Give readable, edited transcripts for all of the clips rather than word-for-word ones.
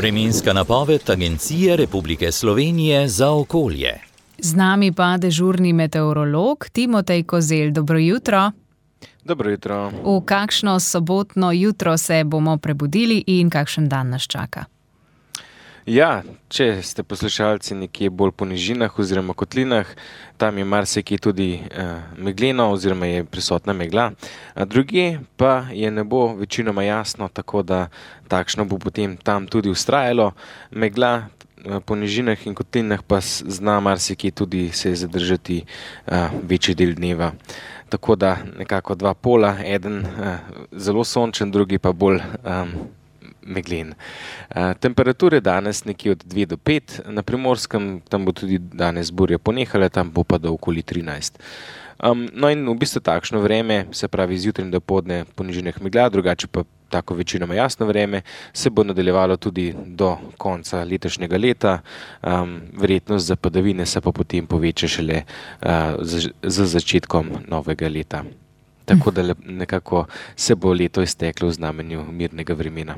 Vremenska napoved Agencije Republike Slovenije za okolje. Z nami pa dežurni meteorolog Timotej Kozelj. Dobro jutro. Dobro jutro. V kakšno sobotno jutro se bomo prebudili in kakšen dan nas čaka? Ja, če ste poslušalci nekje bolj po nižinah oziroma kotlinah, tam je marsikje tudi megleno oziroma je prisotna megla. Drugje pa je nebo večinoma jasno, tako da takšno bo potem tam tudi vztrajalo. Megla po nižinah in kotlinah pa zna marsikje tudi se zadržati večji del dneva. Tako da nekako dva pola, eden zelo sončen, drugi pa bolj meglen. Temperature danes nekje od 2 do 5, na Primorskem tam bo tudi danes burja ponehala, tam bo pa do okoli 13. No in v bistvu takšno vreme, se pravi zjutraj in dopoldne po nižinah megla, drugače pa tako večinoma jasno vreme, se bo nadaljevalo tudi do konca letošnjega leta. Verjetnost za padavine se pa potem poveča šele z začetkom novega leta. Tako da nekako se bo leto izteklo v znamenju mirnega vremena.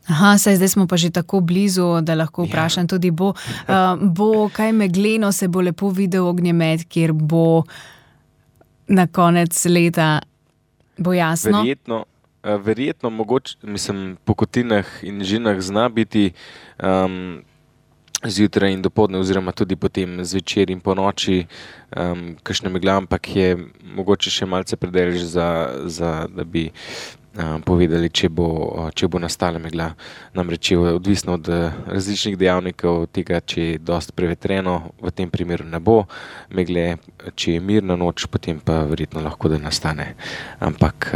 Aha, zdaj smo pa že tako blizu, da lahko vprašam tudi bo kaj megleno, se bo lepo videl ognjemet, kjer bo na konec leta bo jasno? Verjetno mogoče, po kotlinah in nižinah zna biti zjutraj in dopoldne oziroma tudi potem zvečer in po noči kakšna megla, ampak je mogoče še malce predaleč da bi povedali, če bo nastala megla. Namreč je odvisno od različnih dejavnikov tega, če je dosti prevetreno, v tem primeru ne bo megle, če je mirna noč, potem pa verjetno lahko da nastane. Ampak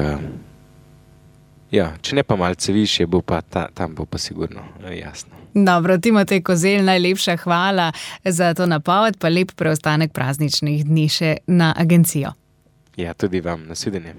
če ne pa malce višje, bo pa tam bo pa sigurno jasno. Dobro, Timotej Kozelj, najlepša hvala za to napoved, pa lep preostanek prazničnih dni še na agencijo. Ja, tudi vam, nasvidenje.